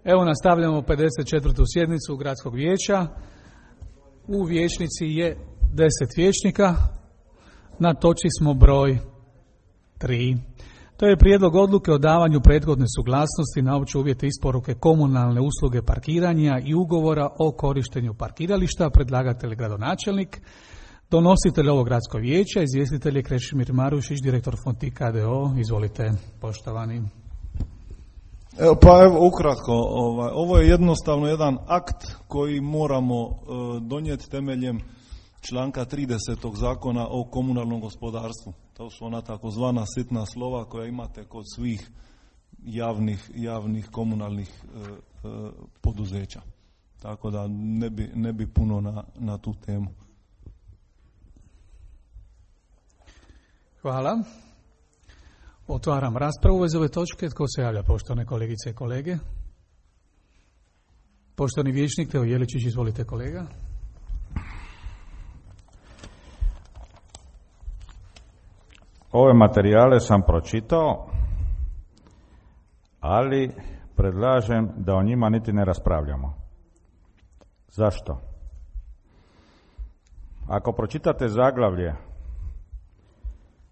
Evo nastavljamo 54. sjednicu Gradskog vijeća. U vijećnici je 10 vijećnika. Na točki smo broj 3. To je prijedlog odluke o davanju prethodne suglasnosti na opće uvjete isporuke komunalne usluge parkiranja i ugovora o korištenju parkirališta. Predlagatelj gradonačelnik. Donositelj ovog gradskog vijeća, izvjestitelj je Krešimir Marušić, direktor Fontika d.o.o. Izvolite, poštovani. Evo ukratko, ovo je jednostavno jedan akt koji moramo donijeti temeljem članka 30. Zakona o komunalnom gospodarstvu. To su ona takozvana sitna slova koja imate kod svih javnih komunalnih poduzeća. Tako da ne bi puno na tu temu. Hvala. Otvaram raspravu iz ove točke. Tko se javlja, poštovane kolegice i kolege? Poštovani vijećnik Teo Jeličić, izvolite kolega. Ove materijale sam pročitao, ali predlažem da o njima niti ne raspravljamo. Zašto? Ako pročitate zaglavlje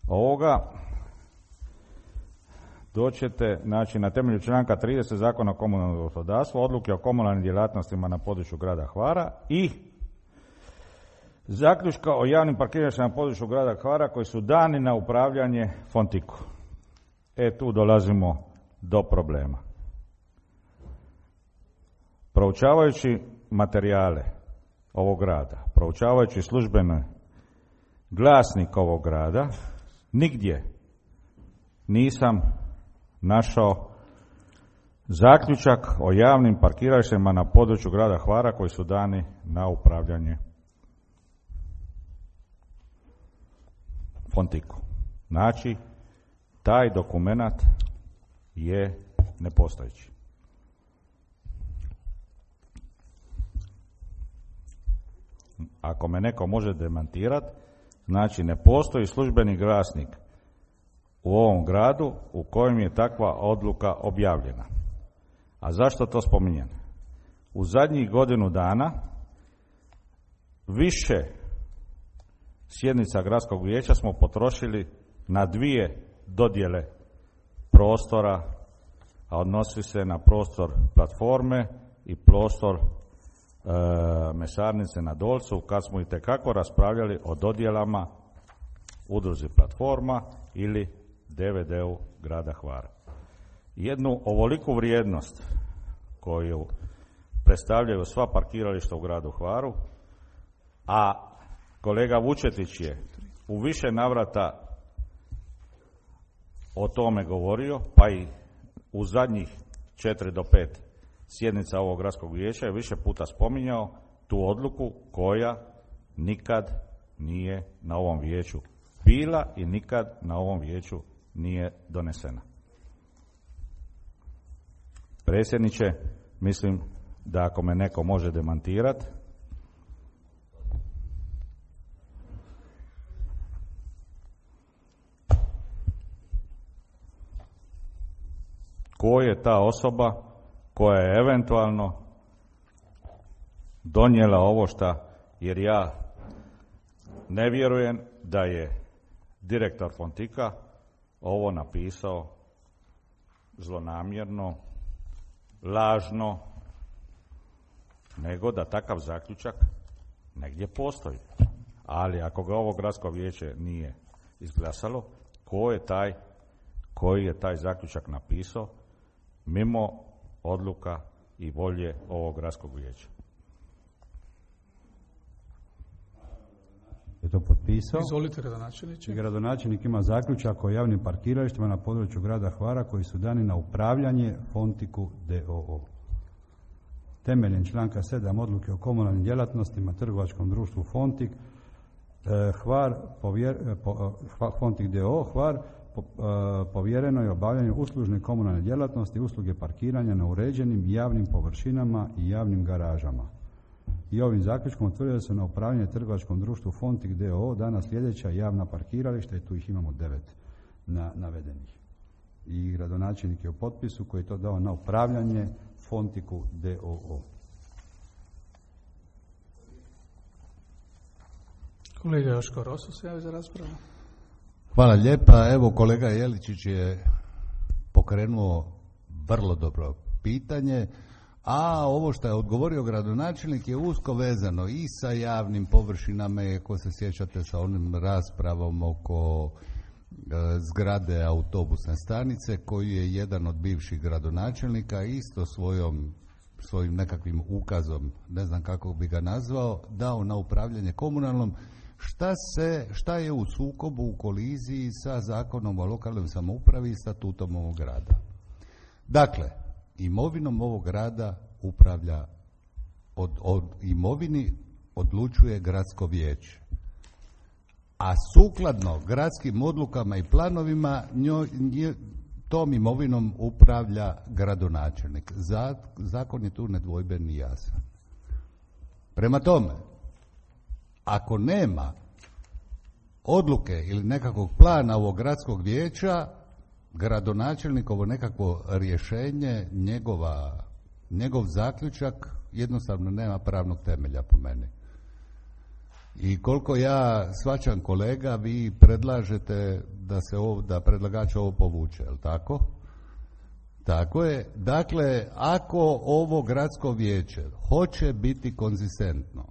ovoga, doćete, znači, na temelju članka 30 Zakona o komunalnom gospodarstvu, odluke o komunalnim djelatnostima na području grada Hvara i zaključka o javnim parkiralištima na području grada Hvara koji su dani na upravljanje Fontiku. Tu dolazimo do problema. Proučavajući materijale ovog grada, proučavajući službeni glasnik ovog grada, nigdje nisam našao zaključak o javnim parkiralištima na području grada Hvara koji su dani na upravljanje Fontiku. Znači, taj dokumenat je nepostojeći. Ako me neko može demantirati, znači ne postoji službeni glasnik u ovom gradu u kojem je takva odluka objavljena. A zašto to spominjem? U zadnjih godinu dana više sjednica gradskog vijeća smo potrošili na 2 dodjele prostora, a odnosi se na prostor platforme i prostor mesarnice na Dolcu, kad smo itekako raspravljali o dodjelama udruzi platforma ili DVD-u grada Hvara. Jednu ovoliku vrijednost koju predstavljaju sva parkirališta u gradu Hvaru, a kolega Vučetić je u više navrata o tome govorio, pa i u zadnjih 4 do 5 sjednica ovog gradskog vijeća je više puta spominjao tu odluku koja nikad nije na ovom vijeću bila i nikad na ovom vijeću nije donesena. Predsjedniče, mislim da ako me neko može demantirati, ko je ta osoba koja je eventualno donijela ovo šta, jer ja ne vjerujem da je direktor Fontika ovo napisao zlonamjerno, lažno, nego da takav zaključak negdje postoji. Ali ako ga ovo gradsko vijeće nije izglasalo, koji je taj zaključak napisao mimo odluka i volje ovog gradskog vijeća? Je to potpisao? Izvolite, gradonačelniče. Gradonačelnik ima zaključak o javnim parkiralištima na području grada Hvara koji su dani na upravljanje Fontiku d.o.o. Temeljem članka 7 odluke o komunalnim djelatnostima trgovačkom društvu Fontik Hvar, Fontik d.o.o. Hvar, povjereno je obavljanje uslužne komunalne djelatnosti, usluge parkiranja na uređenim javnim površinama i javnim garažama. I ovim zaključkom utvrđuje se na upravljanje trgovačkom društvu Fontik d.o.o. dana sljedeća javna parkirališta i tu ih imamo 9 navedenih. I gradonačelnik je u potpisu koji je to dao na upravljanje Fontiku d.o.o. Kolega Joško Rosu se javi za raspravu. Hvala lijepa. Evo, kolega Jeličić je pokrenuo vrlo dobro pitanje, a ovo što je odgovorio gradonačelnik je usko vezano i sa javnim površinama, ako se sjećate sa onim raspravom oko zgrade autobusne stanice, koju je jedan od bivših gradonačelnika isto svojim nekakvim ukazom, ne znam kako bi ga nazvao, dao na upravljanje komunalnom. Šta je u sukobu, u koliziji sa Zakonom o lokalnoj samoupravi i statutom ovog grada? Dakle, imovinom ovog grada upravlja, od imovini odlučuje gradsko vijeće, a sukladno gradskim odlukama i planovima tom imovinom upravlja gradonačelnik. Zakon je tu nedvojben i jasan. Prema tome, ako nema odluke ili nekakvog plana ovog gradskog vijeća, gradonačelnikovo nekakvo rješenje, njegov zaključak jednostavno nema pravnog temelja po meni. I koliko ja shvaćam, kolega, vi predlažete da predlagač ovo povuče, je li tako? Tako je. Dakle, ako ovo gradsko vijeće hoće biti konzistentno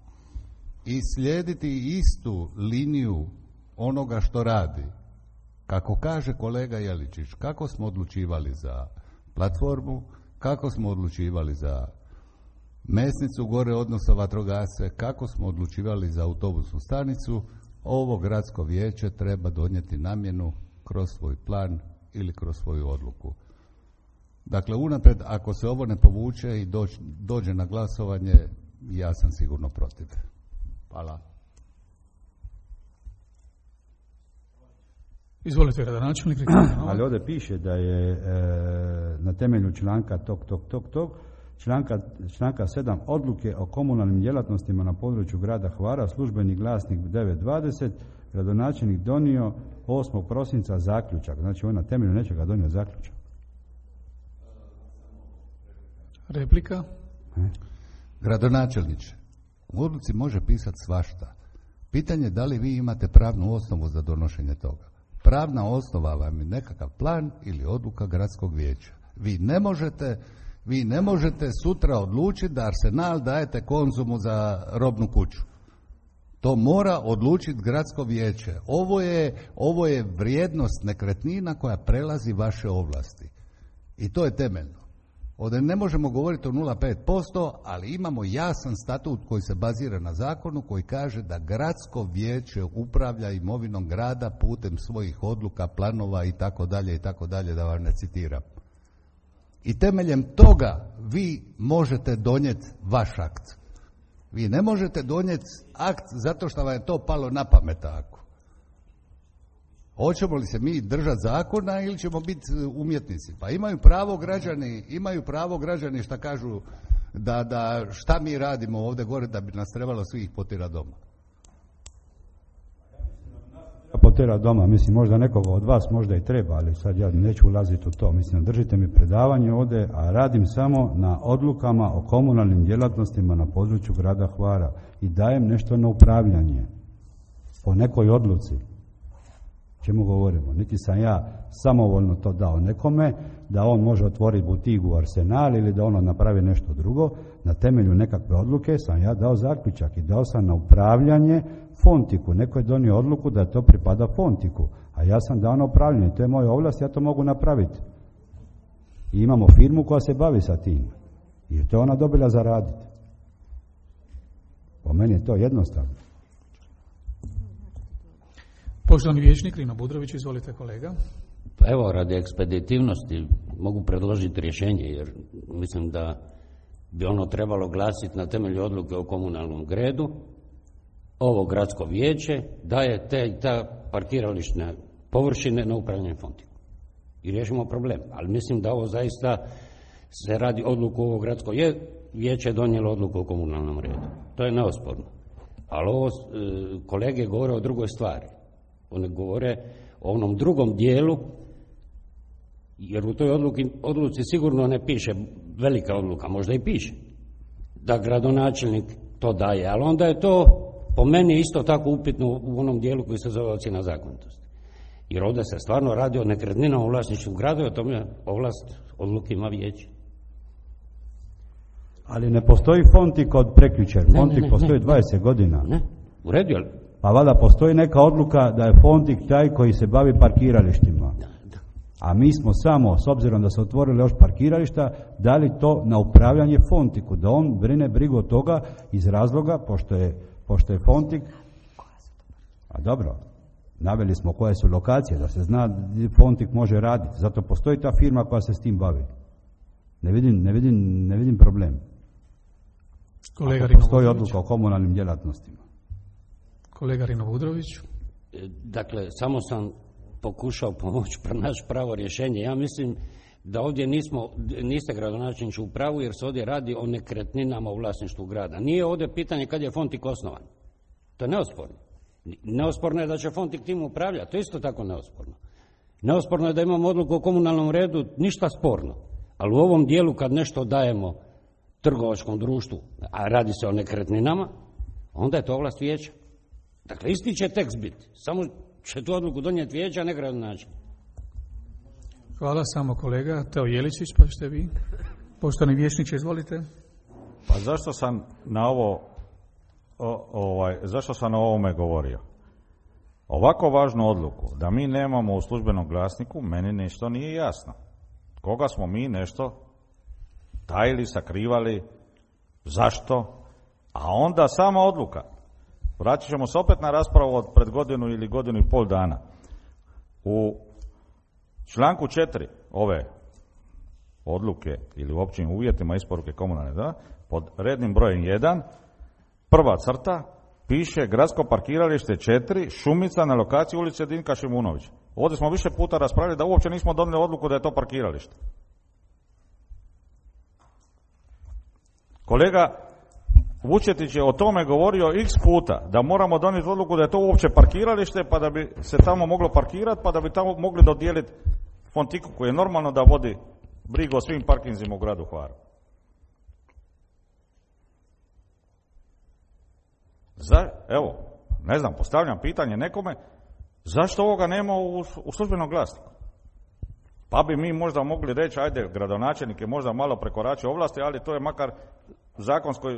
i slijediti istu liniju onoga što radi, kako kaže kolega Jeličić, kako smo odlučivali za platformu, kako smo odlučivali za mesnicu gore, odnosno vatrogasce, kako smo odlučivali za autobusnu stanicu, ovo gradsko vijeće treba donijeti namjenu kroz svoj plan ili kroz svoju odluku. Dakle, unaprijed, ako se ovo ne povuče i dođe na glasovanje, ja sam sigurno protiv. Hvala. Izvolite, gradonačelnik. Ali ovdje piše da je na temelju članka članka 7 odluke o komunalnim djelatnostima na području grada Hvara, službeni glasnik 920, gradonačelnik donio 8. prosinca zaključak. Znači on na temelju nečega donio zaključak. Replika? Gradonačelniče, u odluci može pisati svašta. Pitanje je da li vi imate pravnu osnovu za donošenje toga. Pravna osnova vam je nekakav plan ili odluka gradskog vijeća. Vi ne možete sutra odlučiti da Arsenal dajete Konzumu za robnu kuću. To mora odlučiti gradsko vijeće. Ovo je vrijednost nekretnina koja prelazi vaše ovlasti. I to je temeljno. Ovdje ne možemo govoriti o 0,5%, ali imamo jasan statut koji se bazira na zakonu koji kaže da gradsko vijeće upravlja imovinom grada putem svojih odluka, planova i tako dalje, da vam ne citiram. I temeljem toga vi možete donijeti vaš akt. Vi ne možete donijeti akt zato što vam je to palo na pamet tako. Hoćemo li se mi držati zakona ili ćemo biti umjetnici? Pa imaju pravo građani šta kažu da šta mi radimo ovdje gore da bi nas trebalo svih potjerati doma. Potjerati doma, mislim možda nekoga od vas možda i treba, ali sad ja neću ulaziti u to. Mislim, držite mi predavanje ovdje, a radim samo na odlukama o komunalnim djelatnostima na području grada Hvara i dajem nešto na upravljanje po nekoj odluci. Čemu govorimo? Niti sam ja samovoljno to dao nekome, da on može otvoriti butigu u Arsenal ili da ono napravi nešto drugo. Na temelju nekakve odluke sam ja dao zaključak i dao sam na upravljanje Fontiku. Neko je donio odluku da to pripada Fontiku, a ja sam dao na upravljanje. To je moja ovlast, ja to mogu napraviti. I imamo firmu koja se bavi sa tim. I to je ona dobila za raditi. Po meni je to jednostavno. Poštovani vijećnik Rino Budrović, izvolite kolega. Pa evo, radi ekspeditivnosti mogu predložiti rješenje, jer mislim da bi ono trebalo glasiti na temelju odluke o komunalnom redu. Ovo gradsko vijeće daje ta parkirališne površine na upravljanje Fontiku. I riješimo problem. Ali mislim da ovo zaista se radi odluku ovo gradsko vijeće je donijelo odluku o komunalnom redu. To je neosporno. Ali ovo kolege govore o drugoj stvari. One govore o onom drugom dijelu, Jer u toj odluci sigurno ne piše velika odluka, možda i piše da gradonačelnik to daje, ali onda je to po meni isto tako upitno u onom dijelu koji se zove ocjena zakonitosti. Jer ovdje se stvarno radi o nekretninama u vlasništvu grada i o tome ovlast odluke ima vijeće. Ali ne postoji Fontik od prekjučer. Fontik postoji 20 godina. Ne, u redu, ali... Pa valjda postoji neka odluka da je Fontik taj koji se bavi parkiralištima. A mi smo samo, s obzirom da se otvorili još parkirališta, dali to na upravljanje Fontiku, da on brine brigu od toga iz razloga, pošto je Fontik, a dobro, naveli smo koje su lokacije, da se zna gdje Fontik može raditi, zato postoji ta firma koja se s tim bavi. Ne vidim problem. Kolega Ako postoji odluka o komunalnim djelatnostima. Kolega Rino Budrović. Dakle, samo sam pokušao pomoći pronaći pravo rješenje. Ja mislim da ovdje niste gradonačelniče u pravu, jer se ovdje radi o nekretninama u vlasništvu grada. Nije ovdje pitanje kad je Fontik osnovan. To je neosporno. Neosporno je da će Fontik tim upravljati. To je isto tako neosporno. Neosporno je da imamo odluku o komunalnom redu, ništa sporno. Ali u ovom dijelu kad nešto dajemo trgovačkom društvu, a radi se o nekretninama, onda je to ovlast vijeća. Dakle, isti će tekst biti. Samo će tu odluku donijeti vijeća, a ne gradonačelnik. Hvala, samo kolega Teo Jeličić, pa ćete vi. Poštovani vijećniče, izvolite. Pa zašto sam na zašto sam o ovome govorio? Ovako važnu odluku da mi nemamo u službenom glasniku, meni nešto nije jasno. Koga smo mi nešto tajili, sakrivali, zašto? A onda sama odluka. Vratit ćemo se opet na raspravu od pred godinu ili godinu i pol dana. U članku 4 ove odluke ili u općim uvjetima isporuke komunalne, pod rednim brojem 1, prva crta, piše gradsko parkiralište 4, Šumica na lokaciji ulice Dinka Šimunovića. Ovdje smo više puta raspravili da uopće nismo donijeli odluku da je to parkiralište. Kolega Vučetić je o tome govorio x puta, da moramo donijeti odluku da je to uopće parkiralište, pa da bi se tamo moglo parkirati, pa da bi tamo mogli dodijeliti Fontiku, koji je normalno da vodi brigu o svim parkinzima u gradu Hvaru. Evo, ne znam, postavljam pitanje nekome, zašto ovoga nema u službenom glasniku? Pa bi mi možda mogli reći, ajde, gradonačelnik je možda malo prekoračio ovlasti, ali to je makar zakonsko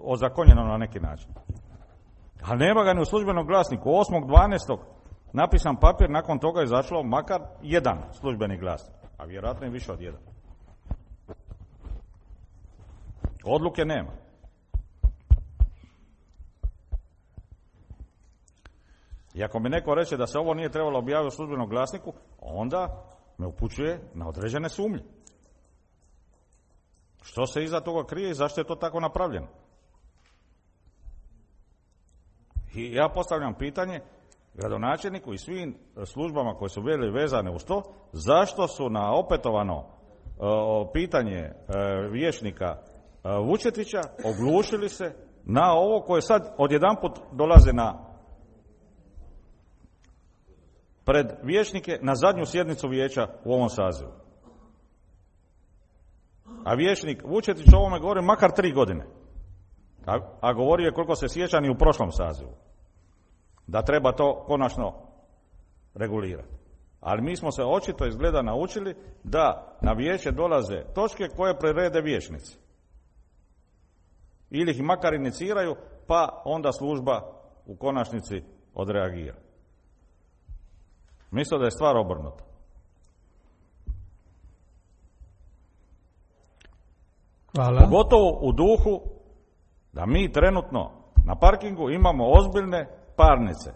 ozakonjeno na neki način. Ali nema ga ni u službenom glasniku. 8.12. napisan papir, nakon toga je izašlo makar jedan službeni glasnik, a vjerojatno i više od jedan. Odluke nema. I ako mi neko reče da se ovo nije trebalo objaviti u službenom glasniku, onda me upućuje na određene sumnje. Što se iza toga krije i zašto je to tako napravljeno? I ja postavljam pitanje gradonačelniku i svim službama koje su bile vezane uz to, zašto su na opetovano pitanje vijećnika Vučetića oglušili se na ovo koje sad odjedanput dolaze pred vijećnike na zadnju sjednicu vijeća u ovom sazivu. A vijećnik Vučetić o ovome govori makar 3 godine. A govorio je, koliko se sjećam, i u prošlom sazivu. Da treba to konačno regulirati. Ali mi smo se očito izgleda naučili da na vijeće dolaze točke koje prerede vijećnici. Ili ih makar iniciraju, pa onda služba u konačnici odreagira. Mislim da je stvar obrnuta. Hvala. Pogotovo u duhu da mi trenutno na parkingu imamo ozbiljne parnice.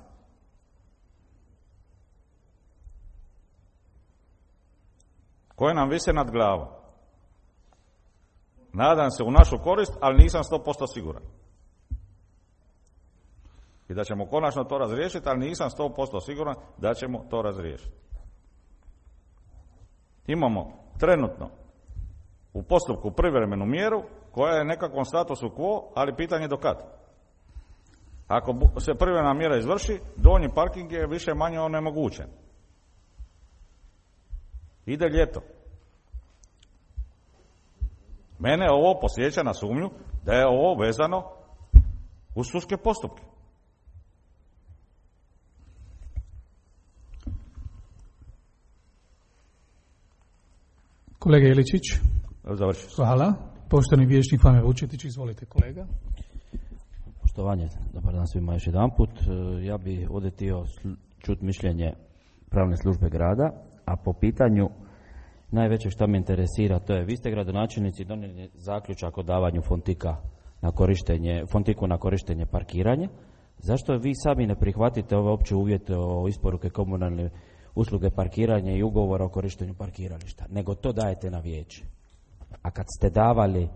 Koje nam vise nad glavom. Nadam se u našu korist, ali nisam 100% siguran. I da ćemo konačno to razriješiti, ali nisam 100% siguran da ćemo to razriješiti. Imamo trenutno u postupku privremenu mjeru koja je nekakvom statusu quo, ali pitanje do kad. Ako se privremena mjera izvrši, donji parking je više manje onemogućen. Ide ljeto. Mene ovo podsjeća na sumnju da je ovo vezano uz sudske postupke. Kolega Jeličić. Završio sam. Hvala. Poštovani vijećnik Fame Vučetić, izvolite kolega. Poštovanje, dobar dan svima još jedan put. Ja bi ovdje htio čuti mišljenje pravne službe grada, a po pitanju najveće što me interesira, to je, vi ste gradonačelnici donijeli zaključak o davanju fontiku na korištenje parkiranja. Zašto vi sami ne prihvatite ove opće uvjete o isporuke komunalne usluge parkiranja i ugovora o korištenju parkirališta, nego to dajete na vijeće? A kad ste davali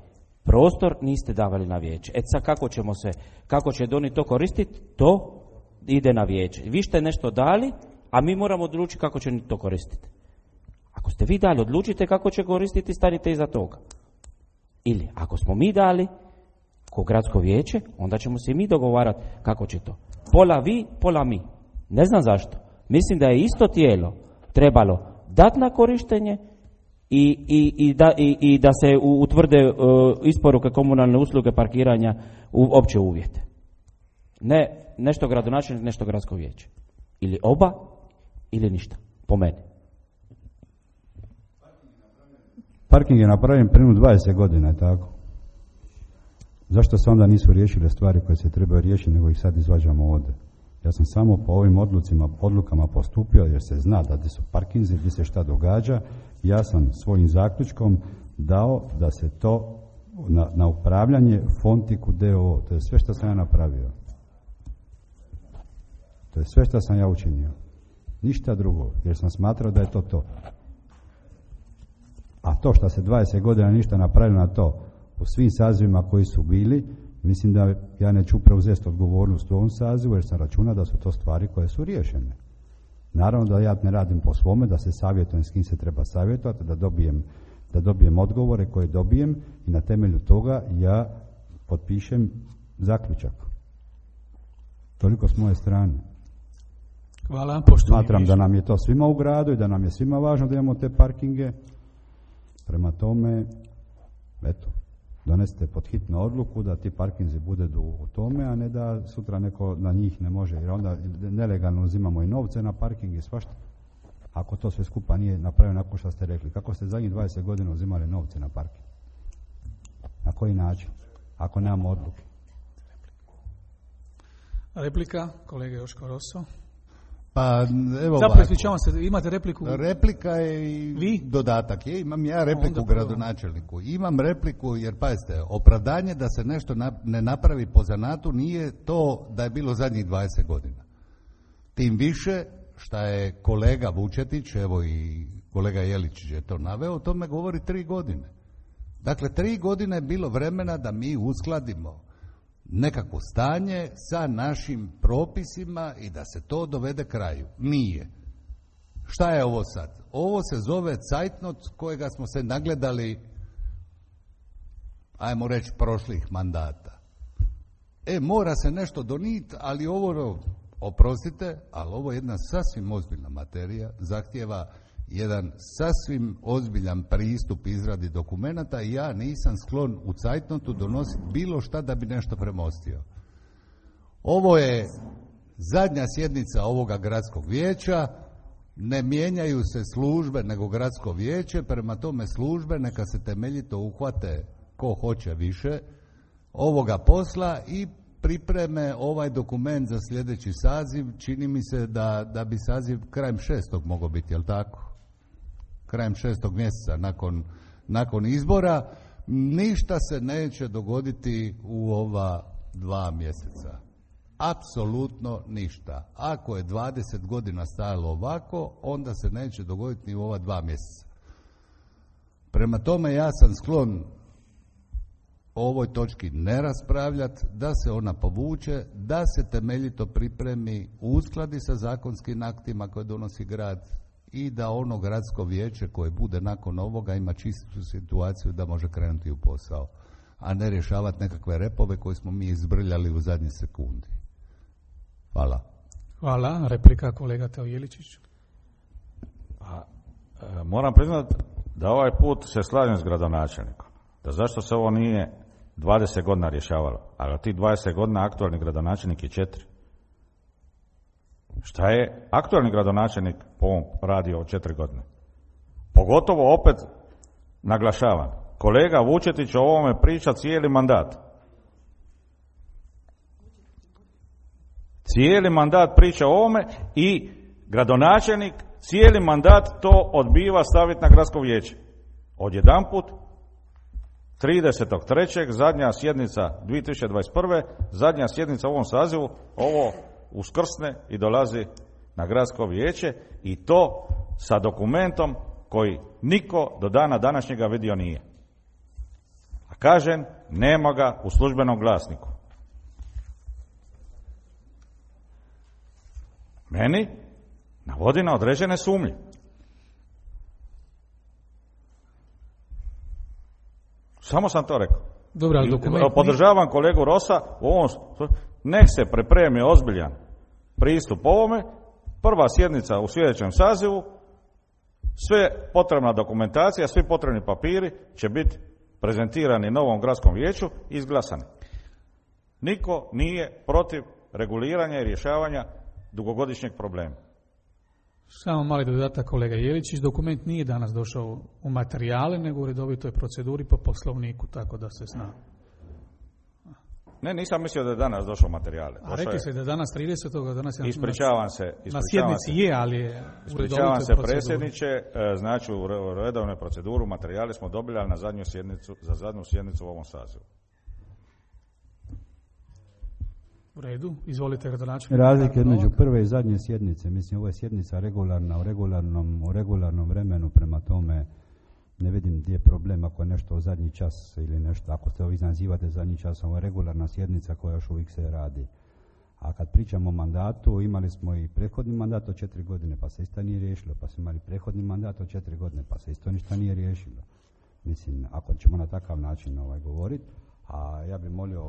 prostor, niste davali na vijeće. Sad kako će oni to koristiti, to ide na vijeće. Vi ste nešto dali, a mi moramo odlučiti kako će to koristiti. Ako ste vi dali, odlučite kako će koristiti, stanite iza toga. Ili, ako smo mi dali, ko gradsko vijeće, onda ćemo se i mi dogovarati kako će to. Pola vi, pola mi. Ne znam zašto. Mislim da je isto tijelo trebalo dati na korištenje i da se utvrde isporuke komunalne usluge parkiranja u opće uvjete. Ne nešto gradonačelnik, nešto gradsko vijeće. Ili oba, ili ništa. Po meni. Parking je napravljen prije 20 godina, je tako? Zašto se onda nisu riješile stvari koje se trebaju riješiti, nego ih sad izvađamo ovdje? Ja sam samo po ovim odlukama postupio, jer se zna da gdje su parkinzi, gdje se šta događa. Ja sam svojim zaključkom dao da se to na upravljanje Fontiku d.o.o. To je sve što sam ja napravio. To je sve što sam ja učinio. Ništa drugo, jer sam smatrao da je to. A to što se 20 godina ništa napravilo na to, u svim sazivima koji su bili, mislim da ja neću preuzeti odgovornost u ovom sazivu, jer sam računao da su to stvari koje su riješene. Naravno da ja ne radim po svome, da se savjetujem s kim se treba savjetovati, da dobijem odgovore koje dobijem i na temelju toga ja potpišem zaključak. Toliko s moje strane. Hvala. Smatram da nam je to svima u gradu i da nam je svima važno da imamo te parkinge. Prema tome, eto, donesite pod hitnu odluku da ti parkinzi budu u tome, a ne da sutra neko na njih ne može, jer onda nelegalno uzimamo i novce na parking i svašta. Ako to sve skupa nije napravljeno nakon što ste rekli, kako ste zadnjih 20 godina uzimali novce na parking? Na koji način? Ako nemamo odluke. Replika, kolega Joško Rosso. Pa, evo zapravo, ispričavam se, imate repliku? Replika je i vi? Dodatak. Imam ja repliku gradonačelniku. Imam repliku jer, pazite, opravdanje da se nešto ne napravi po zanatu nije to da je bilo zadnjih 20 godina. Tim više šta je kolega Vučetić, evo i kolega Jeličić je to naveo, o tome govori 3 godine. Dakle, 3 godine je bilo vremena da mi uskladimo nekakvo stanje sa našim propisima i da se to dovede kraju. Nije. Šta je ovo sad? Ovo se zove cajtnot kojega smo se nagledali, ajmo reći, prošlih mandata. Mora se nešto donijeti, ali ovo, oprostite, ali ovo je jedna sasvim ozbiljna materija, zahtijeva jedan sasvim ozbiljan pristup izradi dokumenata i ja nisam sklon u cajtnotu donositi bilo šta da bi nešto premostio. Ovo je zadnja sjednica ovoga gradskog vijeća, ne mijenjaju se službe nego gradsko vijeće, prema tome službe neka se temeljito uhvate ko hoće više ovoga posla i pripreme ovaj dokument za sljedeći saziv. Čini mi se da bi saziv krajem 6. mogao biti, jel tako? Krajem 6. mjeseca nakon izbora. Ništa se neće dogoditi u ova 2 mjeseca. Apsolutno ništa. Ako je 20 godina stajalo ovako, onda se neće dogoditi ni u ova 2 mjeseca. Prema tome ja sam sklon o ovoj točki ne raspravljati, da se ona povuče, da se temeljito pripremi, uskladi sa zakonskim aktima koje donosi grad i da ono gradsko vijeće koje bude nakon ovoga ima čistu situaciju da može krenuti u posao, a ne rješavati nekakve repove koje smo mi izbrljali u zadnji sekundi. Hvala. Hvala. Replika kolega Teo Jeličić. Moram priznati da ovaj put se slažem s gradonačelnikom. Da zašto se ovo nije 20 godina rješavalo, ali tih 20 godina aktualni gradonačelnik je 4. Šta je aktualni gradonačelnik po ovom radio od 4 godine? Pogotovo opet naglašavam, kolega Vučetić o ovome priča cijeli mandat. Cijeli mandat priča o ovome i gradonačelnik cijeli mandat to odbiva staviti na gradsko vijeće. Odjedanput 30.3. zadnja sjednica 2021. zadnja sjednica u ovom sazivu, ovo uskrsne i dolazi na gradsko vijeće i to sa dokumentom koji niko do dana današnjega vidio nije. A kažem, nema ga u službenom glasniku. Meni navodi na određene sumnje. Samo sam to rekao. Dobro, ali dokument... Podržavam kolegu Rosa u ovom, nek se pripremi ozbiljan pristup ovome, prva sjednica u sljedećem sazivu, sve potrebna dokumentacija, svi potrebni papiri će biti prezentirani novom gradskom vijeću i izglasani. Niko nije protiv reguliranja i rješavanja dugogodišnjeg problema. Samo mali dodatak kolega Jeličić, dokument nije danas došao u materijale, nego u redovitoj proceduri po poslovniku, tako da se zna. Ne, nisam mislio da je danas došao materijale. A rekli ste da je danas 30. danas je ispričavam se. Na sjednici je, ali je u redovitoj proceduri. Ispričavam se predsjedniče, znači u redovnoj proceduru materijale smo dobili, ali za zadnju sjednicu u ovom sazivu. U redu, izvolite gradonačelnik. Razlike između prve i zadnje sjednice, mislim ovo je sjednica regularna u regularnom vremenu, prema tome ne vidim gdje je problem ako je nešto u zadnji čas ili nešto, ako ste vi nazivate zadnji čas, ovo je regularna sjednica koja još uvijek se radi. A kad pričamo o mandatu, imali smo i prethodni mandat od 4 godine pa se isto nije riješilo, pa smo imali prethodni mandat od 4 godine pa se isto ništa nije riješilo. Mislim, ako ćemo na takav način govoriti, a ja bih molio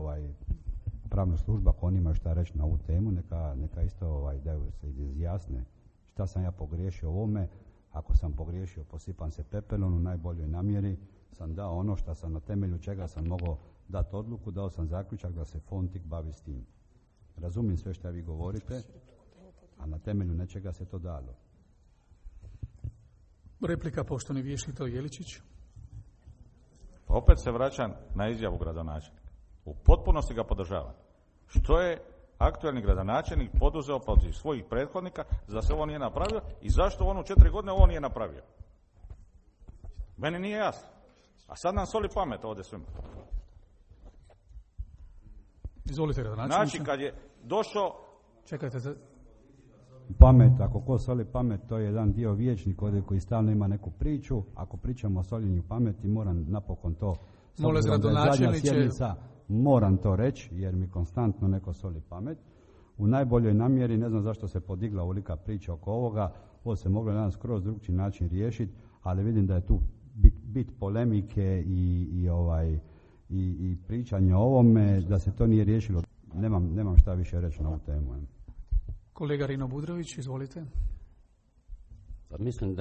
pravna služba, ako oni imaju šta reći na ovu temu, neka isto da se izjasne šta sam ja pogriješio ovome. Ako sam pogriješio, posipam se pepelom, u najboljoj namjeri sam dao ono što sam, na temelju čega sam mogao dati odluku, dao sam zaključak da se Fontik bavi s tim. Razumijem sve što vi govorite, a na temelju nečega se to dalo. Replika poštovani vijećnik Jeličić. Opet se vraćam na izjavu gradonačelnika. U potpunosti ga podržavam. Što je aktualni gradonačelnik poduzeo protiv svojih prethodnika da se ovo nije napravio i zašto on u 4 godine ovo nije napravio? Meni nije jasno. A sad nam soli pamet ovdje svima. Izvolite gradonačelniče. Znači kad je došao... Čekajte za... Pamet, ako ko soli pamet, to je jedan dio vijećnik ovdje koji stalno ima neku priču. Ako pričamo o soljenju pameti, moram napokon to... Molim gradonačelniče... Moram to reći jer mi konstantno neko soli pamet. U najboljoj namjeri, ne znam zašto se podigla ovolika priča oko ovoga, ovo se moglo na skroz drugčiji način riješiti, ali vidim da je tu bit polemike i pričanje o ovome, da se to nije riješilo. Nemam šta više reći na ovu temu. Kolega Rino Budrović, izvolite. Pa mislim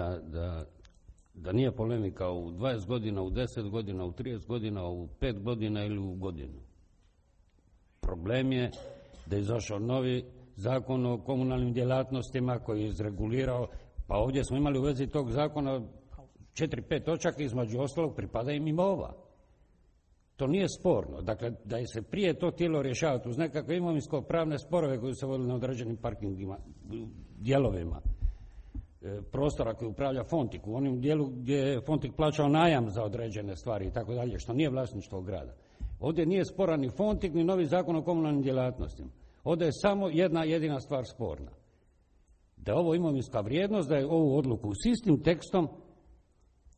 da nije polemika u 20 godina, u 10 godina, u 30 godina, u 5 godina ili u godinu. Problem je da je izašao novi zakon o komunalnim djelatnostima koji je izregulirao, pa ovdje smo imali u vezi tog zakona 4-5 točaka, između ostalog pripada im ova. To nije sporno. Dakle, da je se prije to htjelo rješavati uz nekakve imovinsko-pravne sporove koji su vodili na određenim parkingima, dijelovima prostora koji upravlja Fontik, u onom dijelu gdje je Fontik plaćao najam za određene stvari i tako dalje, što nije vlasništvo grada. Ovdje nije sporan ni Fontik, ni novi zakon o komunalnim djelatnostima. Ovdje je samo jedna jedina stvar sporna. Da je ovo imovinska vrijednost, da je ovu odluku s istim tekstom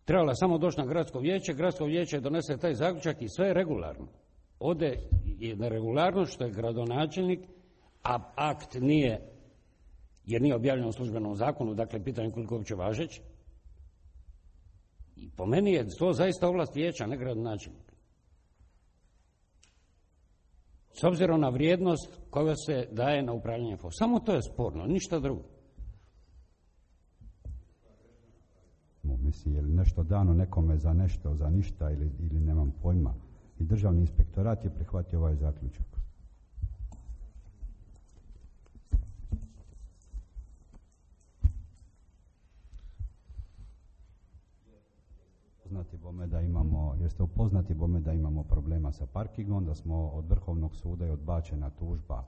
trebala samo doći na gradsko vijeće donese taj zaključak i sve je regularno. Ovdje je neregularno što je gradonačelnik, a akt nije, jer nije objavljen u službenom zakonu, dakle pitanje koliko je uopće važeć. I po meni je to zaista ovlast vijeća, ne gradonačelnika. S obzirom na vrijednost koja se daje na upravljanje samo to je sporno, ništa drugo. Mislim, je li nešto dano nekome za nešto, za ništa ili nemam pojma. I Državni inspektorat je prihvatio ovaj zaključak. Jeste upoznati bome da imamo problema sa parkingom, da smo od Vrhovnog suda je odbačena tužba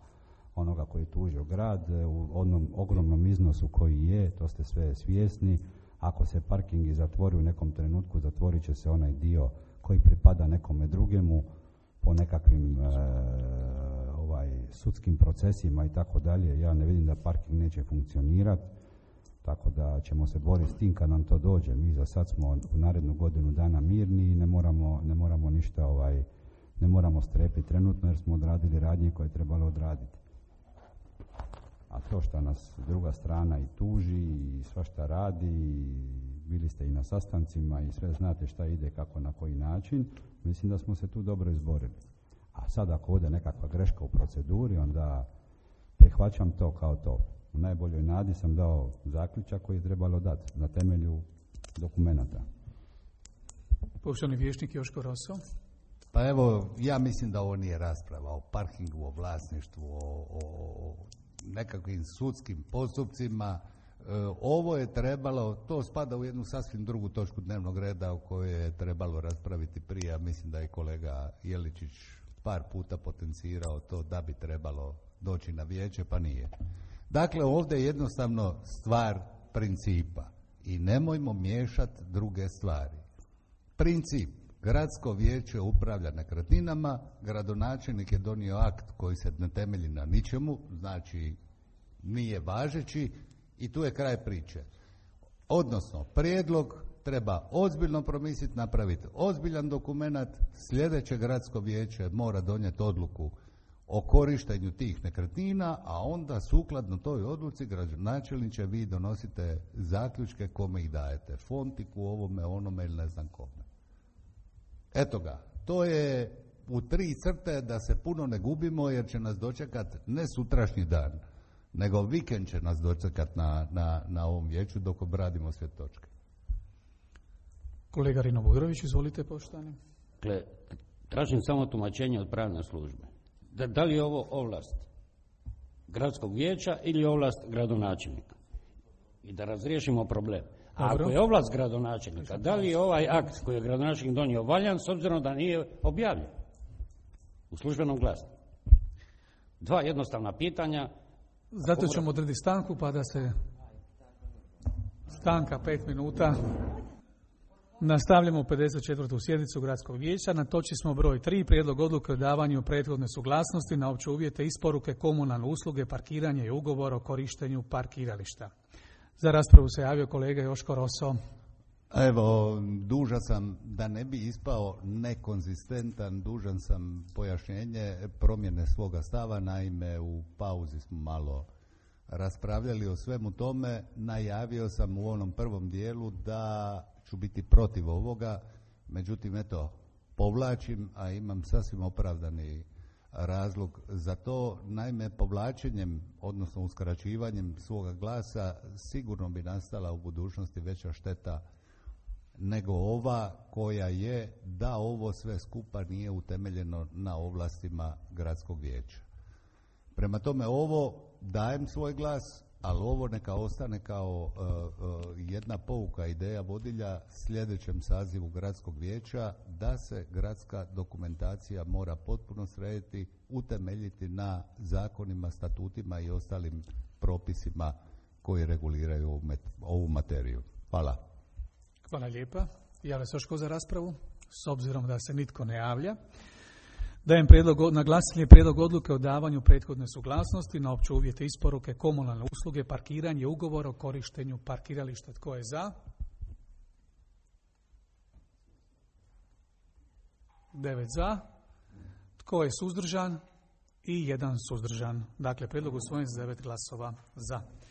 onoga koji je tužio grad u onom ogromnom iznosu koji je, to ste sve svjesni. Ako se parkingi zatvori u nekom trenutku, zatvorit će se onaj dio koji pripada nekome drugemu po nekakvim sudskim procesima i tako dalje. Ja ne vidim da parking neće funkcionirati. Tako da ćemo se boriti s tim kad nam to dođe. Mi za sad smo u narednu godinu dana mirni i ne moramo ništa, ne moramo strepiti trenutno jer smo odradili radnje koje je trebalo odraditi. A to što nas druga strana i tuži i svašta radi, i bili ste i na sastancima i sve znate šta ide, kako, na koji način, mislim da smo se tu dobro izborili. A sad ako ode nekakva greška u proceduri, onda prihvaćam to kao to. U najboljoj nadi sam dao zaključak koji je trebalo dati na temelju dokumenata. Poštovani vijećnik Joško Roso. Pa evo, ja mislim da ovo nije rasprava o parkingu, o vlasništvu, o nekakvim sudskim postupcima. Ovo je trebalo, to spada u jednu sasvim drugu točku dnevnog reda o kojoj je trebalo raspraviti prije. Mislim da je kolega Jeličić par puta potencirao to da bi trebalo doći na vijeće, pa nije. Dakle, ovdje je jednostavno stvar principa i nemojmo miješati druge stvari. Princip, gradsko vijeće upravlja nekretninama, gradonačelnik je donio akt koji se ne temelji na ničemu, znači nije važeći i tu je kraj priče. Odnosno, prijedlog treba ozbiljno promisliti, napraviti ozbiljan dokumenat, sljedeće gradsko vijeće mora donijeti odluku o korištenju tih nekretnina, a onda sukladno toj odluci gradonačelniče vi donosite zaključke kome ih dajete, Fontiku, ovome, onome ili ne znam kome. Eto ga, to je u 3 crte da se puno ne gubimo jer će nas dočekati ne sutrašnji dan, nego vikend će nas dočekati na ovom vijeću dok obradimo sve točke. Kolega Rino Bujrović, izvolite poštovani. Dakle, tražim samo tumačenje od pravne službe. Da li je ovo ovlast gradskog vijeća ili ovlast gradonačelnika? I da razriješimo problem. A ako je ovlast gradonačelnika, da li je ovaj akt koji je gradonačelnik donio valjan s obzirom da nije objavljen u službenom glasniku? 2 jednostavna pitanja. Zato ćemo odrediti stanku pa da se stanka 5 minuta. Nastavljamo 54. sjednicu Gradskog vijeća. Na točki smo broj 3. Prijedlog odluke o davanju prethodne suglasnosti na opće uvjete isporuke komunalne usluge, parkiranje i ugovor o korištenju parkirališta. Za raspravu se javio kolega Joško Roso. Evo, dužan sam, da ne bi ispao nekonzistentan, dužan sam pojašnjenje promjene svoga stava. Naime, u pauzi smo malo raspravljali o svemu tome. Najavio sam u onom prvom dijelu da ću biti protiv ovoga, međutim, eto, povlačim, a imam sasvim opravdani razlog za to. Naime, povlačenjem, odnosno uskraćivanjem svoga glasa, sigurno bi nastala u budućnosti veća šteta nego ova koja je da ovo sve skupa nije utemeljeno na ovlastima gradskog vijeća. Prema tome, ovo dajem svoj glas, ali ovo neka ostane kao jedna pouka, ideja vodilja sljedećem sazivu gradskog vijeća, da se gradska dokumentacija mora potpuno srediti, utemeljiti na zakonima, statutima i ostalim propisima koji reguliraju ovu materiju. Hvala. Hvala lijepa. Javlja se još tko za raspravu? S obzirom da se nitko ne javlja. Dajem na glasanje prijedlog odluke o davanju prethodne suglasnosti na opće uvjete isporuke komunalne usluge, parkiranje, ugovor o korištenju parkirališta. Tko je za? 9 za. Tko je suzdržan? I 1 suzdržan. Dakle, prijedlog usvojen s 9 glasova za.